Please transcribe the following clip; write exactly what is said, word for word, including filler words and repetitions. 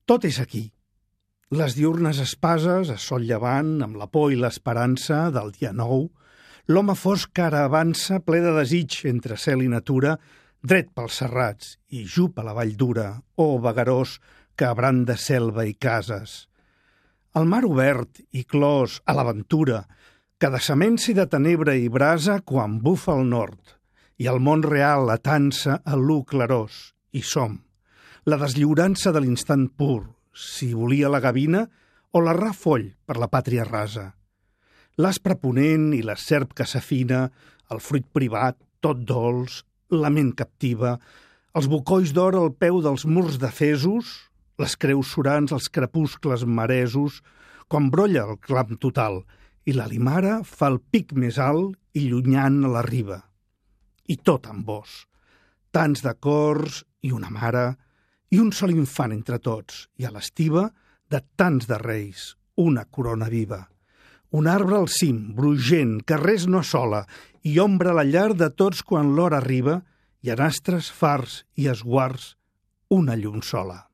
Tot és aquí. Les diurnes espases, a sol llevant, amb la por i l'esperança del dia nou, l'home fosc que ara avança ple de desig entre cel i natura, dret pels serrats i jup a la vall dura, oh vagarós que abranda selva i cases. El mar obert i clos a l'aventura, que de semença i de tenebra i brasa quan bufa al nord, i el món real atansa a l'u clarós, i som. La deslliurança de l'instant pur, si volia la gavina o l'arrar foll per la pàtria rasa. L'aspre ponent i la serp que s'afina, el fruit privat, tot dolç, la ment captiva, els bocolls d'or al peu dels murs de fesos, les creus surants als crepuscles maresos, quan brolla el clam total, i la limara fa el pic més alt i llunyant a la riba. I tot amb vos, tants de cors i una mare, i un sol infant entre tots, i a l'estiva, de tants de reis, una corona viva. Un arbre al cim, brugent, que res no assola, i ombra a la llar de tots quan l'hora arriba, i en astres, fars i esguards, una llum sola.